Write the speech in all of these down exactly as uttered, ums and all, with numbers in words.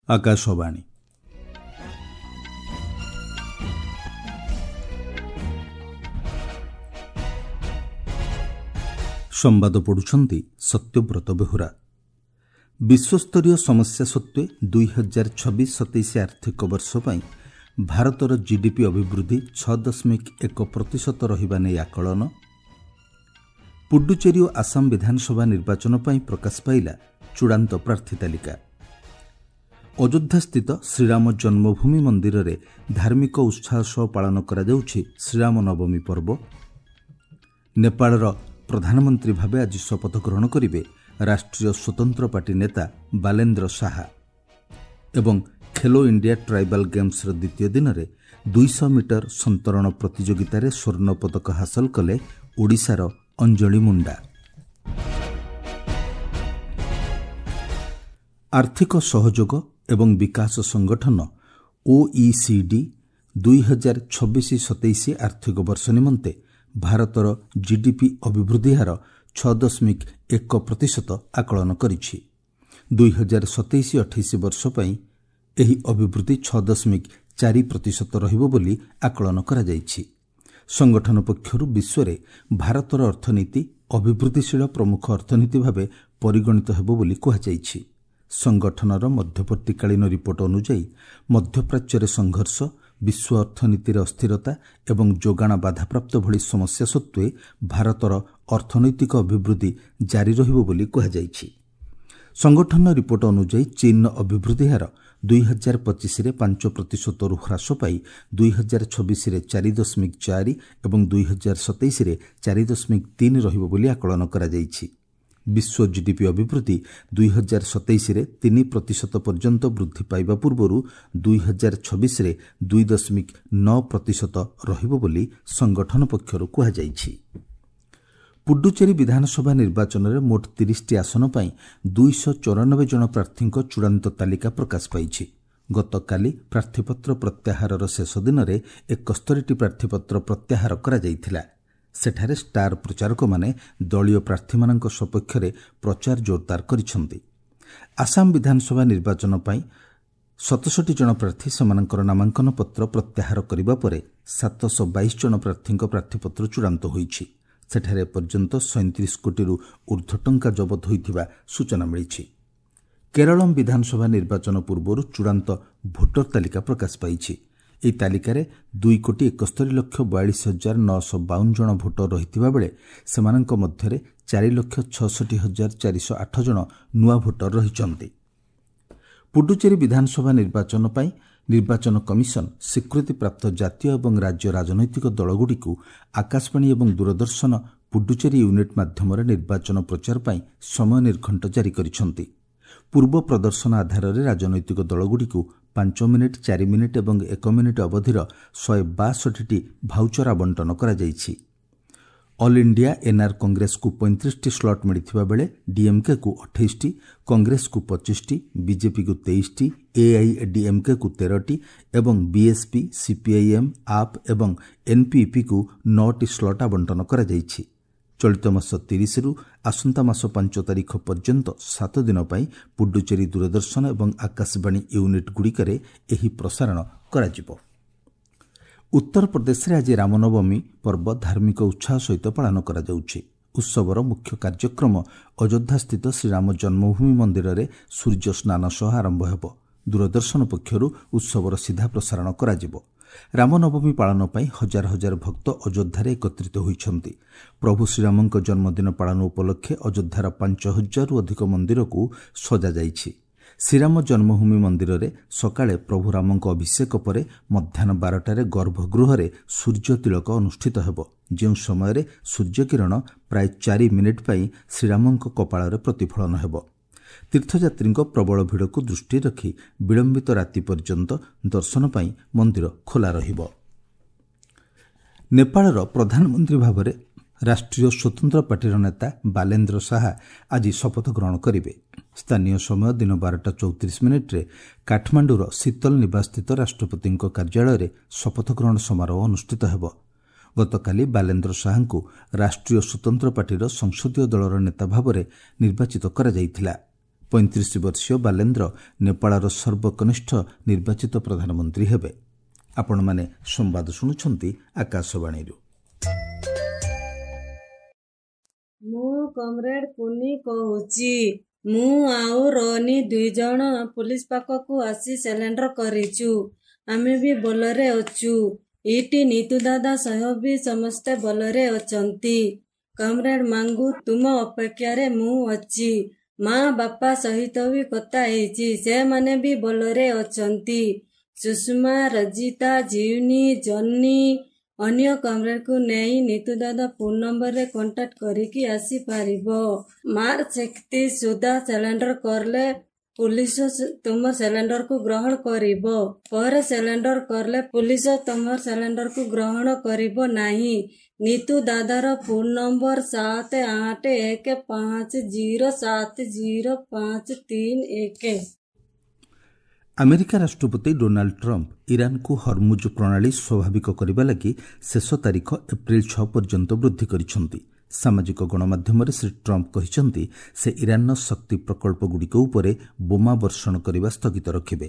ଆକାଶବାଣୀ। ସମ୍ବାଦ ପଢ଼ୁଛନ୍ତି ସତ୍ୟବ୍ରତ ବେହୁରା। ବିଶ୍ୱସ୍ତରୀୟ ସମସ୍ୟା ସତ୍ତ୍ୱେ ଦୁଇ ହଜାର ଛବିଶ ସତେଇଶ ଆର୍ଥିକ ବର୍ଷ ପାଇଁ ଭାରତର ଜିଡିପି ଅଭିବୃଦ୍ଧି ଛଅ ଦଶମିକ ଏକ ପ୍ରତିଶତ ରହିବା ନେଇ ଆକଳନ। ପୁଡୁଚେରୀ ଓ ଆସାମ ବିଧାନସଭା ନିର୍ବାଚନ ପାଇଁ ପ୍ରକାଶ ପାଇଲା ଚୂଡ଼ାନ୍ତ ପ୍ରାର୍ଥୀ ତାଲିକା। ଅଯୋଧ୍ୟାସ୍ଥିତ ଶ୍ରୀରାମ ଜନ୍ମଭୂମି ମନ୍ଦିରରେ ଧାର୍ମିକ ଉତ୍ସାହ ସହ ପାଳନ କରାଯାଉଛି ଶ୍ରୀରାମ ନବମୀ ପର୍ବ। ନେପାଳର ପ୍ରଧାନମନ୍ତ୍ରୀ ଭାବେ ଆଜି ଶପଥ ଗ୍ରହଣ କରିବେ ରାଷ୍ଟ୍ରୀୟ ସ୍ୱତନ୍ତ୍ର ପାର୍ଟି ନେତା ବାଲେନ୍ଦ୍ର ଶାହା। ଏବଂ ଖେଲୋ ଇଣ୍ଡିଆ ଟ୍ରାଇବାଲ୍ ଗେମ୍ସର ଦ୍ୱିତୀୟ ଦିନରେ ଦୁଇଶହ ମିଟର ସନ୍ତରଣ ପ୍ରତିଯୋଗିତାରେ ସ୍ୱର୍ଣ୍ଣ ପଦକ ହାସଲ କଲେ ଓଡ଼ିଶାର ଅଞ୍ଜଳି ମୁଣ୍ଡା। ଆର୍ଥିକ ସହଯୋଗ ଏବଂ ବିକାଶ ସଂଗଠନ ଓଇସିଡି ଦୁଇ ହଜାର ଛବିଶ ସତେଇଶ ଆର୍ଥିକ ବର୍ଷ ନିମନ୍ତେ ଭାରତର ଜିଡିପି ଅଭିବୃଦ୍ଧି ହାର ଛଅ ଦଶମିକ ଏକ ପ୍ରତିଶତ ଆକଳନ କରିଛି। ଦୁଇ ହଜାର ସତେଇଶ ଅଠେଇଶ ବର୍ଷ ପାଇଁ ଏହି ଅଭିବୃଦ୍ଧି ଛଅ ଦଶମିକ ଚାରି ପ୍ରତିଶତ ରହିବ ବୋଲି ଆକଳନ କରାଯାଇଛି। ସଂଗଠନ ପକ୍ଷରୁ ବିଶ୍ୱରେ ଭାରତର ଅର୍ଥନୀତି ଅଭିବୃଦ୍ଧିଶୀଳ ପ୍ରମୁଖ ଅର୍ଥନୀତି ଭାବେ ପରିଗଣିତ ହେବ ବୋଲି କୁହାଯାଇଛି। ସଂଗଠନର ମଧ୍ୟବର୍ତ୍ତୀକାଳୀନ ରିପୋର୍ଟ ଅନୁଯାୟୀ ମଧ୍ୟପ୍ରାଚ୍ୟରେ ସଂଘର୍ଷ, ବିଶ୍ୱ ଅର୍ଥନୀତିରେ ଅସ୍ଥିରତା ଏବଂ ଯୋଗାଣ ବାଧାପ୍ରାପ୍ତ ଭଳି ସମସ୍ୟା ସତ୍ତ୍ୱେ ଭାରତର ଅର୍ଥନୈତିକ ଅଭିବୃଦ୍ଧି ଜାରି ରହିବ ବୋଲି କୁହାଯାଇଛି। ସଂଗଠନର ରିପୋର୍ଟ ଅନୁଯାୟୀ ଚୀନର ଅଭିବୃଦ୍ଧି ହାର ଦୁଇ ହଜାର ପଚିଶରେ ପାଞ୍ଚ ପ୍ରତିଶତରୁ ହ୍ରାସ ପାଇ ଦୁଇ ହଜାର ଛବିଶରେ ଚାରି ଦଶମିକ ଚାରି ଏବଂ ଦୁଇ ହଜାର ସତେଇଶରେ ଚାରି ଦଶମିକ ତିନି ରହିବ ବୋଲି ଆକଳନ କରାଯାଇଛି। ବିଶ୍ୱ ଜିଡିପି ଅଭିବୃଦ୍ଧି ଦୁଇ ହଜାର ସତେଇଶରେ ତିନି ପ୍ରତିଶତ ପର୍ଯ୍ୟନ୍ତ ବୃଦ୍ଧି ପାଇବା ପୂର୍ବରୁ ଦୁଇ ହଜାର ଛବିଶରେ ଦୁଇ ଦଶମିକ ନଅ ପ୍ରତିଶତ ରହିବ ବୋଲି ସଂଗଠନ ପକ୍ଷରୁ କୁହାଯାଇଛି। ପୁଡୁଚେରୀ ବିଧାନସଭା ନିର୍ବାଚନରେ ମୋଟ ତିରିଶଟି ଆସନ ପାଇଁ ଦୁଇଶହ ଚଉରାନବେ ଜଣ ପ୍ରାର୍ଥୀଙ୍କ ଚୂଡ଼ାନ୍ତ ତାଲିକା ପ୍ରକାଶ ପାଇଛି। ଗତକାଲି ପ୍ରାର୍ଥୀପତ୍ର ପ୍ରତ୍ୟାହାରର ଶେଷ ଦିନରେ ଏକସ୍ତରୀଟି ପ୍ରାର୍ଥୀପତ୍ର ପ୍ରତ୍ୟାହାର କରାଯାଇଥିଲା। ସେଠାରେ ଷ୍ଟାର ପ୍ରଚାରକମାନେ ଦଳୀୟ ପ୍ରାର୍ଥୀମାନଙ୍କ ସପକ୍ଷରେ ପ୍ରଚାର ଜୋରଦାର କରିଛନ୍ତି। ଆସାମ ବିଧାନସଭା ନିର୍ବାଚନ ପାଇଁ ସତଷଠି ଜଣ ପ୍ରାର୍ଥୀ ସେମାନଙ୍କର ନାମାଙ୍କନ ପତ୍ର ପ୍ରତ୍ୟାହାର କରିବା ପରେ ସାତଶହ ବାଇଶ ଜଣ ପ୍ରାର୍ଥୀଙ୍କ ପ୍ରାର୍ଥୀପତ୍ର ଚୂଡ଼ାନ୍ତ ହୋଇଛି। ସେଠାରେ ଏପର୍ଯ୍ୟନ୍ତ ସଇଁତିରିଶ କୋଟିରୁ ଊର୍ଦ୍ଧ୍ୱ ଟଙ୍କା ଜବତ ହୋଇଥିବା ସୂଚନା ମିଳିଛି। କେରଳମ୍ ବିଧାନସଭା ନିର୍ବାଚନ ପୂର୍ବରୁ ଚୂଡ଼ାନ୍ତ ଭୋଟର ତାଲିକା ପ୍ରକାଶ ପାଇଛି। ଏହି ତାଲିକାରେ ଦୁଇ କୋଟି ଏକସ୍ତରୀ ଲକ୍ଷ ବୟାଳିଶ ହଜାର ନଅଶହ ବାଉନ ଜଣ ଭୋଟର ରହିଥିବା ବେଳେ ସେମାନଙ୍କ ମଧ୍ୟରେ ଚାରି ଲକ୍ଷ ଛଅଷଠି ହଜାର ଚାରିଶହ ଆଠ ଜଣ ନୂଆ ଭୋଟର ରହିଛନ୍ତି। ପୁଡୁଚେରୀ ବିଧାନସଭା ନିର୍ବାଚନ ପାଇଁ ନିର୍ବାଚନ କମିଶନ ସ୍ୱୀକୃତିପ୍ରାପ୍ତ ଜାତୀୟ ଏବଂ ରାଜ୍ୟ ରାଜନୈତିକ ଦଳଗୁଡ଼ିକୁ ଆକାଶବାଣୀ ଏବଂ ଦୂରଦର୍ଶନ ପୁଡୁଚେରୀ ୟୁନିଟ୍ ମାଧ୍ୟମରେ ନିର୍ବାଚନ ପ୍ରଚାର ପାଇଁ ସମୟ ନିର୍ଘଣ୍ଟ ଜାରି କରିଛନ୍ତି। ପୂର୍ବ ପ୍ରଦର୍ଶନ ଆଧାରରେ ରାଜନୈତିକ ଦଳଗୁଡ଼ିକୁ ପାଞ୍ଚ ମିନିଟ୍, ଚାରି ମିନିଟ୍ ଏବଂ ଏକ ମିନିଟ୍ ଅବଧିର ଶହେ ବାଷଠିଟି ଭାଉଚର ଆବଣ୍ଟନ କରାଯାଇଛି। ଅଲ୍ ଇଣ୍ଡିଆ ଏନ୍ଆର୍ କଂଗ୍ରେସକୁ ପଇଁତିରିଶଟି ସ୍ଲଟ୍ ମିଳିଥିବା ବେଳେ ଡିଏମ୍କେକୁ ଅଠେଇଶଟି, କଂଗ୍ରେସକୁ ପଚିଶଟି, ବିଜେପିକୁ ତେଇଶଟି, ଏଆଇଏଡିଏମ୍କେକୁ ତେରଟି ଏବଂ ବିଏସ୍ପି, ସିପିଆଇଏମ୍, ଆପ୍ ଏବଂ ଏନ୍ପିପିକୁ ନଅଟି ସ୍ଲଟ୍ ଆବଣ୍ଟନ କରାଯାଇଛି। ଚଳିତ ମାସ ତିରିଶରୁ ଆସନ୍ତା ମାସ ପାଞ୍ଚ ତାରିଖ ପର୍ଯ୍ୟନ୍ତ ସାତ ଦିନ ପାଇଁ ପୁଡୁଚେରୀ ଦୂରଦର୍ଶନ ଏବଂ ଆକାଶବାଣୀ ୟୁନିଟ୍ଗୁଡ଼ିକରେ ଏହି ପ୍ରସାରଣ କରାଯିବ। ଉତ୍ତରପ୍ରଦେଶରେ ଆଜି ରାମନବମୀ ପର୍ବ ଧାର୍ମିକ ଉତ୍ସାହ ସହିତ ପାଳନ କରାଯାଉଛି। ଉତ୍ସବର ମୁଖ୍ୟ କାର୍ଯ୍ୟକ୍ରମ ଅଯୋଧ୍ୟାସ୍ଥିତ ଶ୍ରୀରାମ ଜନ୍ମଭୂମି ମନ୍ଦିରରେ ସୂର୍ଯ୍ୟ ସ୍ନାନ ସହ ଆରମ୍ଭ ହେବ। ଦୂରଦର୍ଶନ ପକ୍ଷରୁ ଉତ୍ସବର ସିଧା ପ୍ରସାରଣ କରାଯିବ। ରାମନବମୀ ପାଳନ ପାଇଁ ହଜାର ହଜାର ଭକ୍ତ ଅଯୋଧ୍ୟାରେ ଏକତ୍ରିତ ହୋଇଛନ୍ତି। ପ୍ରଭୁ ଶ୍ରୀରାମଙ୍କ ଜନ୍ମଦିନ ପାଳନ ଉପଲକ୍ଷେ ଅଯୋଧ୍ୟାର ପାଞ୍ଚ ହଜାରରୁ ଅଧିକ ମନ୍ଦିରକୁ ସଜାଯାଇଛି। ଶ୍ରୀରାମ ଜନ୍ମଭୂମି ମନ୍ଦିରରେ ସକାଳେ ପ୍ରଭୁ ରାମଙ୍କ ଅଭିଷେକ ପରେ ମଧ୍ୟାହ୍ନ ବାରଟାରେ ଗର୍ଭଗୃହରେ ସୂର୍ଯ୍ୟ ତିଳକ ଅନୁଷ୍ଠିତ ହେବ, ଯେଉଁ ସମୟରେ ସୂର୍ଯ୍ୟକିରଣ ପ୍ରାୟ ଚାରି ମିନିଟ୍ ପାଇଁ ଶ୍ରୀରାମଙ୍କ କପାଳରେ ପ୍ରତିଫଳନ ହେବ। ତୀର୍ଥଯାତ୍ରୀଙ୍କ ପ୍ରବଳ ଭିଡ଼କୁ ଦୃଷ୍ଟିରେ ରଖି ବିଳମ୍ବିତ ରାତି ପର୍ଯ୍ୟନ୍ତ ଦର୍ଶନ ପାଇଁ ମନ୍ଦିର ଖୋଲା ରହିବ। ନେପାଳର ପ୍ରଧାନମନ୍ତ୍ରୀ ଭାବରେ ରାଷ୍ଟ୍ରୀୟ ସ୍ୱତନ୍ତ୍ର ପାର୍ଟିର ନେତା ବାଲେନ୍ଦ୍ର ଶାହା ଆଜି ଶପଥ ଗ୍ରହଣ କରିବେ। ସ୍ଥାନୀୟ ସମୟ ଦିନ ବାରଟା ଚଉତିରିଶ ମିନିଟ୍ରେ କାଠମାଣ୍ଡୁର ଶୀତଲ ନିବାସସ୍ଥିତ ରାଷ୍ଟ୍ରପତିଙ୍କ କାର୍ଯ୍ୟାଳୟରେ ଶପଥ ଗ୍ରହଣ ସମାରୋହ ଅନୁଷ୍ଠିତ ହେବ। ଗତକାଲି ବାଲେନ୍ଦ୍ର ଶାହାଙ୍କୁ ରାଷ୍ଟ୍ରୀୟ ସ୍ୱତନ୍ତ୍ର ପାର୍ଟିର ସଂସଦୀୟ ଦଳର ନେତା ଭାବରେ ନିର୍ବାଚିତ କରାଯାଇଥିଲା। ପଇଁତିରିଶ ବର୍ଷୀୟ ବାଲେନ୍ଦ୍ର ନେପାଳର ସର୍ବକନିଷ୍ଠ ନିର୍ବାଚିତ ପ୍ରଧାନମନ୍ତ୍ରୀ ହେବେ। ଆପଣମାନେ ସମ୍ବାଦ ଶୁଣୁଛନ୍ତି ଆକାଶବାଣୀରୁ। ମୁଁ କମ୍ରେଡ୍ କୁନି କହୁଛି। ମୁଁ ଆଉ ରୋନି ଦୁଇ ଜଣ ପୁଲିସ ପାଖକୁ ଆସି ସରେଣ୍ଡର କରିଛୁ। ଆମେ ବି ଭଲରେ ଅଛୁ। ଏଇଠି ନିତୁ ଦାଦା ସହ ବି ସମସ୍ତେ ଭଲରେ ଅଛନ୍ତି। କମ୍ରେଡ୍ ମାଙ୍ଗୁ, ତୁମ ଅପେକ୍ଷାରେ ମୁଁ ଅଛି। ମା ବାପା ସହିତ ବି କଥା ହେଇଛି, ସେମାନେ ବି ଭଲରେ ଅଛନ୍ତି। ସୁଷମା, ରଜିତା, ଜିଉନି, ଜନି ଅନ୍ୟ କମ୍ରେଡ୍କୁ ନେଇ ନିତୁ ଦାଦା ଫୋନ୍ ନମ୍ବରରେ କଣ୍ଟାକ୍ଟ କରିକି ଆସିପାରିବ। ମାର୍ଚ୍ଚ ଏକତିରିଶ ସୁଦ୍ଧା ସରେଣ୍ଡର କଲେ ପୁଲିସ ତୁମ ସରେଣ୍ଡରକୁ ଗ୍ରହଣ କରିବ। ପରେ ସରେଣ୍ଡର କଲେ ପୁଲିସ ତୁମ ସରେଣ୍ଡରକୁ ଗ୍ରହଣ କରିବ ନାହିଁ। ନିତୁ ଦାଦାର ଫୋନ୍ ନମ୍ବର ସାତ ଆଠ ଏକ ପାଞ୍ଚ ଜିରୋ ସାତ ଜିରୋ ପାଞ୍ଚ ତିନି ଏକ। ଆମେରିକା ରାଷ୍ଟ୍ରପତି ଡୋନାଲ୍ଡ ଟ୍ରମ୍ପ ଇରାନକୁ ହରମୁଜ ପ୍ରଣାଳୀ ସ୍ୱାଭାବିକ କରିବା ଲାଗି ଶେଷ ତାରିଖ ଏପ୍ରିଲ ଛଅ ପର୍ଯ୍ୟନ୍ତ ବୃଦ୍ଧି କରିଛନ୍ତି। ସାମାଜିକ ଗଣମାଧ୍ୟମରେ ଶ୍ରୀ ଟ୍ରମ୍ପ କହିଛନ୍ତି, ସେ ଇରାନର ଶକ୍ତି ପ୍ରକଳ୍ପଗୁଡ଼ିକ ଉପରେ ବୋମା ବର୍ଷଣ କରିବା ସ୍ଥଗିତ ରଖିବେ।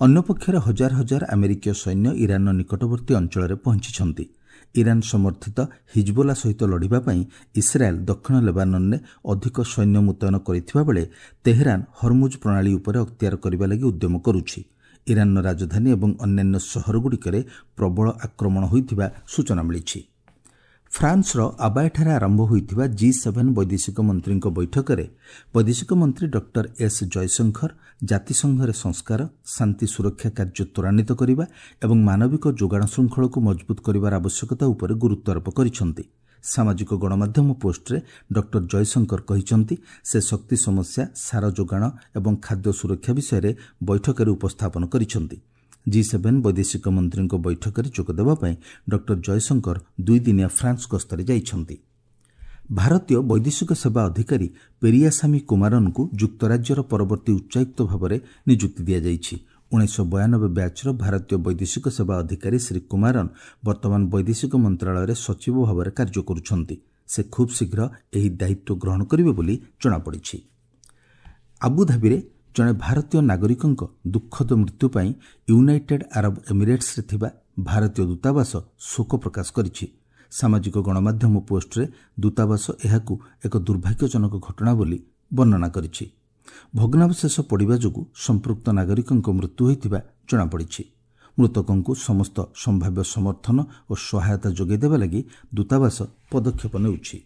ଅନ୍ୟପକ୍ଷରେ ହଜାର ହଜାର ଆମେରିକୀୟ ସୈନ୍ୟ ଇରାନର ନିକଟବର୍ତ୍ତୀ ଅଞ୍ଚଳରେ ପହଞ୍ଚିଛନ୍ତି। ଇରାନ ସମର୍ଥିତ ହିଜବୋଲା ସହିତ ଲଢ଼ିବା ପାଇଁ ଇସ୍ରାଏଲ୍ ଦକ୍ଷିଣ ଲେବାନନରେ ଅଧିକ ସୈନ୍ୟ ମୁତୟନ କରିଥିବା ବେଳେ ତେହେରାନ ହରମୁଜ ପ୍ରଣାଳୀ ଉପରେ ଅକ୍ତିଆର କରିବା ଲାଗି ଉଦ୍ୟମ କରୁଛି। ଇରାନର ରାଜଧାନୀ ଏବଂ ଅନ୍ୟାନ୍ୟ ସହରଗୁଡ଼ିକରେ ପ୍ରବଳ ଆକ୍ରମଣ ହୋଇଥିବା ସୂଚନା ମିଳିଛି। ଫ୍ରାନ୍ସର ଆବାୟଠାରେ ଆରମ୍ଭ ହୋଇଥିବା ଜି ସେଭେନ୍ ବୈଦେଶିକ ମନ୍ତ୍ରୀଙ୍କ ବୈଠକରେ ବୈଦେଶିକ ମନ୍ତ୍ରୀ ଡକ୍ଟର ଏସ୍ ଜୟଶଙ୍କର ଜାତିସଂଘରେ ସଂସ୍କାର, ଶାନ୍ତି ସୁରକ୍ଷା କାର୍ଯ୍ୟ ତ୍ୱରାନ୍ୱିତ କରିବା ଏବଂ ମାନବିକ ଯୋଗାଣ ଶୃଙ୍ଖଳକୁ ମଜବୁତ କରିବାର ଆବଶ୍ୟକତା ଉପରେ ଗୁରୁତ୍ୱାରୋପ କରିଛନ୍ତି। ସାମାଜିକ ଗଣମାଧ୍ୟମ ପୋଷ୍ଟରେ ଡକ୍ଟର ଜୟଶଙ୍କର କହିଛନ୍ତି, ସେ ଶକ୍ତି ସମସ୍ୟା, ସାର ଯୋଗାଣ ଏବଂ ଖାଦ୍ୟ ସୁରକ୍ଷା ବିଷୟରେ ବୈଠକରେ ଉପସ୍ଥାପନ କରିଛନ୍ତି। ଜି ସେଭେନ୍ ବୈଦେଶିକ ମନ୍ତ୍ରୀଙ୍କ ବୈଠକରେ ଯୋଗଦେବା ପାଇଁ ଡକ୍ଟର ଜୟଶଙ୍କର ଦୁଇଦିନିଆ ଫ୍ରାନ୍ସ ଗସ୍ତରେ ଯାଇଛନ୍ତି। ଭାରତୀୟ ବୈଦେଶିକ ସେବା ଅଧିକାରୀ ପେରିୟାସାମୀ କୁମାରନଙ୍କୁ ଯୁକ୍ତରାଜ୍ୟର ପରବର୍ତ୍ତୀ ଉଚ୍ଚାୟୁକ୍ତ ଭାବରେ ନିଯୁକ୍ତି ଦିଆଯାଇଛି। ଉଣେଇଶହ ବୟାନବେ ବ୍ୟାଚ୍ର ଭାରତୀୟ ବୈଦେଶିକ ସେବା ଅଧିକାରୀ ଶ୍ରୀ କୁମାରନ ବର୍ତ୍ତମାନ ବୈଦେଶିକ ମନ୍ତ୍ରଣାଳୟରେ ସଚିବ ଭାବରେ କାର୍ଯ୍ୟ କରୁଛନ୍ତି। ସେ ଖୁବ୍ ଶୀଘ୍ର ଏହି ଦାୟିତ୍ୱ ଗ୍ରହଣ କରିବେ ବୋଲି ଜଣାପଡ଼ିଛି। ଆବୁଧାବିରେ ଜଣେ ଭାରତୀୟ ନାଗରିକଙ୍କ ଦୁଃଖଦ ମୃତ୍ୟୁ ପାଇଁ ୟୁନାଇଟେଡ୍ ଆରବ ଏମିରେଟ୍ସରେ ଥିବା ଭାରତୀୟ ଦୂତାବାସ ଶୋକ ପ୍ରକାଶ କରିଛି। ସାମାଜିକ ଗଣମାଧ୍ୟମ ପୋଷ୍ଟରେ ଦୂତାବାସ ଏହାକୁ ଏକ ଦୁର୍ଭାଗ୍ୟଜନକ ଘଟଣା ବୋଲି ବର୍ଣ୍ଣନା କରିଛି। ଭଗ୍ନାବଶେଷ ପଡ଼ିବା ଯୋଗୁଁ ସମ୍ପୃକ୍ତ ନାଗରିକଙ୍କ ମୃତ୍ୟୁ ହୋଇଥିବା ଜଣାପଡ଼ିଛି। ମୃତକଙ୍କୁ ସମସ୍ତ ସମ୍ଭାବ୍ୟ ସମର୍ଥନ ଓ ସହାୟତା ଯୋଗାଇ ଦେବା ଲାଗି ଦୂତାବାସ ପଦକ୍ଷେପ ନେଉଛି।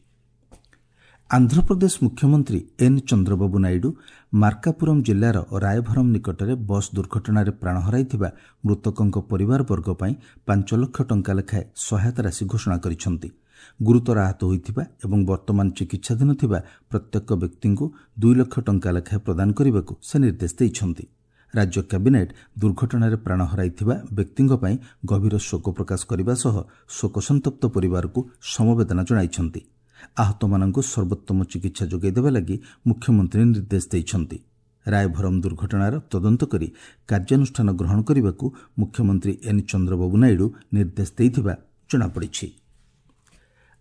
ଆନ୍ଧ୍ରପ୍ରଦେଶ ମୁଖ୍ୟମନ୍ତ୍ରୀ ଏନ୍ ଚନ୍ଦ୍ରବାବୁ ନାଇଡୁ ମାର୍କାପୁରମ୍ ଜିଲ୍ଲାର ରାୟଭରମ୍ ନିକଟରେ ବସ୍ ଦୁର୍ଘଟଣାରେ ପ୍ରାଣ ହରାଇଥିବା ମୃତକଙ୍କ ପରିବାରବର୍ଗ ପାଇଁ ପାଞ୍ଚ ଲକ୍ଷ ଟଙ୍କା ଲେଖାଏଁ ସହାୟତା ରାଶି ଘୋଷଣା କରିଛନ୍ତି। ଗୁରୁତର ଆହତ ହୋଇଥିବା ଏବଂ ବର୍ତ୍ତମାନ ଚିକିତ୍ସାଧୀନ ଥିବା ପ୍ରତ୍ୟେକ ବ୍ୟକ୍ତିଙ୍କୁ ଦୁଇ ଲକ୍ଷ ଟଙ୍କା ଲେଖାଏଁ ପ୍ରଦାନ କରିବାକୁ ସେ ନିର୍ଦ୍ଦେଶ ଦେଇଛନ୍ତି। ରାଜ୍ୟ କ୍ୟାବିନେଟ୍ ଦୁର୍ଘଟଣାରେ ପ୍ରାଣ ହରାଇଥିବା ବ୍ୟକ୍ତିଙ୍କ ପାଇଁ ଗଭୀର ଶୋକ ପ୍ରକାଶ କରିବା ସହ ଶୋକସନ୍ତପ୍ତ ପରିବାରକୁ ସମବେଦନା ଜଣାଇଛନ୍ତି। ଆହତମାନଙ୍କୁ ସର୍ବୋତ୍ତମ ଚିକିତ୍ସା ଯୋଗାଇ ଦେବା ଲାଗି ମୁଖ୍ୟମନ୍ତ୍ରୀ ନିର୍ଦ୍ଦେଶ ଦେଇଛନ୍ତି। ରାୟଭରମ୍ ଦୁର୍ଘଟଣାର ତଦନ୍ତ କରି କାର୍ଯ୍ୟାନୁଷ୍ଠାନ ଗ୍ରହଣ କରିବାକୁ ମୁଖ୍ୟମନ୍ତ୍ରୀ ଏନ୍ ଚନ୍ଦ୍ରବାବୁ ନାଇଡୁ ନିର୍ଦ୍ଦେଶ ଦେଇଥିବା ଜଣାପଡ଼ିଛି।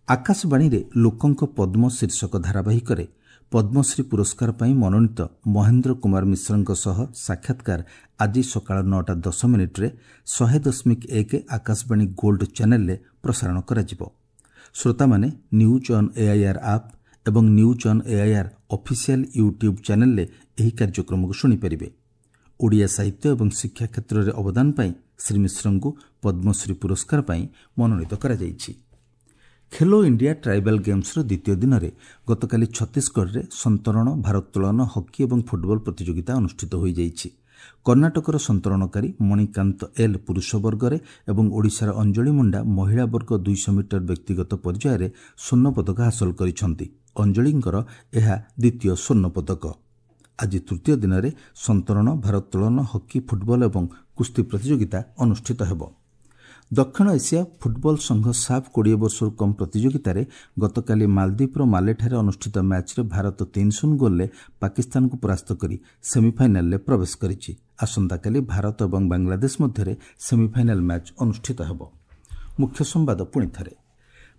ଆକାଶବାଣୀରେ ଲୋକଙ୍କ ପଦ୍ମ ଶୀର୍ଷକ ଧାରାବାହିକରେ ପଦ୍ମଶ୍ରୀ ପୁରସ୍କାର ପାଇଁ ମନୋନୀତ ମହେନ୍ଦ୍ର କୁମାର ମିଶ୍ରଙ୍କ ସହ ସାକ୍ଷାତକାର ଆଜି ସକାଳ ନଅଟା ଦଶ ମିନିଟ୍ରେ ଶହେ ଦଶମିକ ଏକ ଆକାଶବାଣୀ ଗୋଲ୍ଡ ଚ୍ୟାନେଲରେ ପ୍ରସାରଣ କରାଯିବ। ଶ୍ରୋତାମାନେ ନ୍ୟୁଜ୍ ଅନ୍ ଏଆଇଆର୍ ଆପ୍ ଏବଂ news on AIR official YouTube ଚ୍ୟାନେଲରେ ଏହି କାର୍ଯ୍ୟକ୍ରମକୁ ଶୁଣିପାରିବେ। ଓଡ଼ିଆ ସାହିତ୍ୟ ଏବଂ ଶିକ୍ଷା କ୍ଷେତ୍ରରେ ଅବଦାନ ପାଇଁ ଶ୍ରୀ ମିଶ୍ରଙ୍କୁ ପଦ୍ମଶ୍ରୀ ପୁରସ୍କାର ପାଇଁ ମନୋନୀତ କରାଯାଇଛି। ଖେଲୋ ଇଣ୍ଡିଆ ଟ୍ରାଇବାଲ୍ ଗେମ୍ସର ଦ୍ୱିତୀୟ ଦିନରେ ଗତକାଲି ଛତିଶଗଡ଼ରେ ସନ୍ତରଣ, ଭାରୋତ୍ତୋଳନ, ହକି ଏବଂ ଫୁଟବଲ ପ୍ରତିଯୋଗିତା ଅନୁଷ୍ଠିତ ହୋଇଯାଇଛି। କର୍ଣ୍ଣାଟକର ସନ୍ତରଣକାରୀ ମଣିକାନ୍ତ ଏଲ୍ ପୁରୁଷ ବର୍ଗରେ ଏବଂ ଓଡ଼ିଶାର ଅଞ୍ଜଳି ମୁଣ୍ଡା ମହିଳା ବର୍ଗ ଦୁଇଶହ ମିଟର ବ୍ୟକ୍ତିଗତ ପର୍ଯ୍ୟାୟରେ ସ୍ୱର୍ଣ୍ଣ ପଦକ ହାସଲ କରିଛନ୍ତି। ଅଞ୍ଜଳିଙ୍କର ଏହା ଦ୍ୱିତୀୟ ସ୍ୱର୍ଣ୍ଣ ପଦକ। ଆଜି ତୃତୀୟ ଦିନରେ ସନ୍ତରଣ, ଭାରୋତ୍ତୋଳନ, ହକି, ଫୁଟବଲ ଏବଂ କୁସ୍ତି ପ୍ରତିଯୋଗିତା ଅନୁଷ୍ଠିତ ହେବ। ଦକ୍ଷିଣ ଏସିଆ ଫୁଟବଲ ସଂଘ ସାଫ୍ କୋଡ଼ିଏ ବର୍ଷରୁ କମ୍ ପ୍ରତିଯୋଗିତାରେ ଗତକାଲି ମାଲଦ୍ୱୀପର ମାଲେଠାରେ ଅନୁଷ୍ଠିତ ମ୍ୟାଚ୍ରେ ଭାରତ ତିନି ଶୂନ ଗୋଲ୍ରେ ପାକିସ୍ତାନକୁ ପରାସ୍ତ କରି ସେମିଫାଇନାଲରେ ପ୍ରବେଶ କରିଛି। ଆସନ୍ତାକାଲି ଭାରତ ଏବଂ ବାଂଲାଦେଶ ମଧ୍ୟରେ ସେମିଫାଇନାଲ ମ୍ୟାଚ୍ ଅନୁଷ୍ଠିତ ହେବ। ମୁଖ୍ୟ ସମ୍ବାଦ ପୁଣିଥରେ,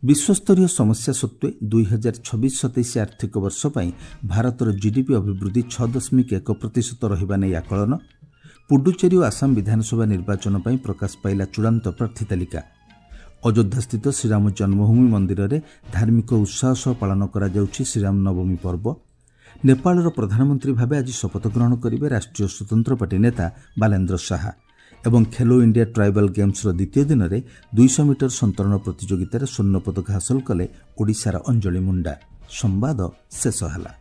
ବିଶ୍ୱସ୍ତରୀୟ ସମସ୍ୟା ସତ୍ତ୍ୱେ ଦୁଇ ହଜାର ଛବିଶ ସତେଇଶ ଆର୍ଥିକ ବର୍ଷ ପାଇଁ ଭାରତର ଜିଡିପି ଅଭିବୃଦ୍ଧି ଛଅ ଦଶମିକ ଏକ ପ୍ରତିଶତ ରହିବା ନେଇ ଆକଳନ। ପୁଡୁଚେରୀ ଓ ଆସାମ ବିଧାନସଭା ନିର୍ବାଚନ ପାଇଁ ପ୍ରକାଶ ପାଇଲା ଚୂଡ଼ାନ୍ତ ପ୍ରାର୍ଥୀ ତାଲିକା। ଅଯୋଧ୍ୟାସ୍ଥିତ ଶ୍ରୀରାମ ଜନ୍ମଭୂମି ମନ୍ଦିରରେ ଧାର୍ମିକ ଉତ୍ସାହ ସହ ପାଳନ କରାଯାଉଛି ଶ୍ରୀରାମ ନବମୀ ପର୍ବ। ନେପାଳର ପ୍ରଧାନମନ୍ତ୍ରୀ ଭାବେ ଆଜି ଶପଥ ଗ୍ରହଣ କରିବେ ରାଷ୍ଟ୍ରୀୟ ସ୍ୱତନ୍ତ୍ର ପାର୍ଟି ନେତା ବାଲେନ୍ଦ୍ର ଶାହା। ଏବଂ ଖେଲୋ ଇଣ୍ଡିଆ ଟ୍ରାଇବାଲ ଗେମ୍ସର ଦ୍ୱିତୀୟ ଦିନରେ ଦୁଇଶହ ମିଟର ସନ୍ତରଣ ପ୍ରତିଯୋଗିତାରେ ସ୍ୱର୍ଣ୍ଣ ପଦକ ହାସଲ କଲେ ଓଡ଼ିଶାର ଅଞ୍ଜଳି ମୁଣ୍ଡା। ସମ୍ବାଦ ଶେଷ ହେଲା।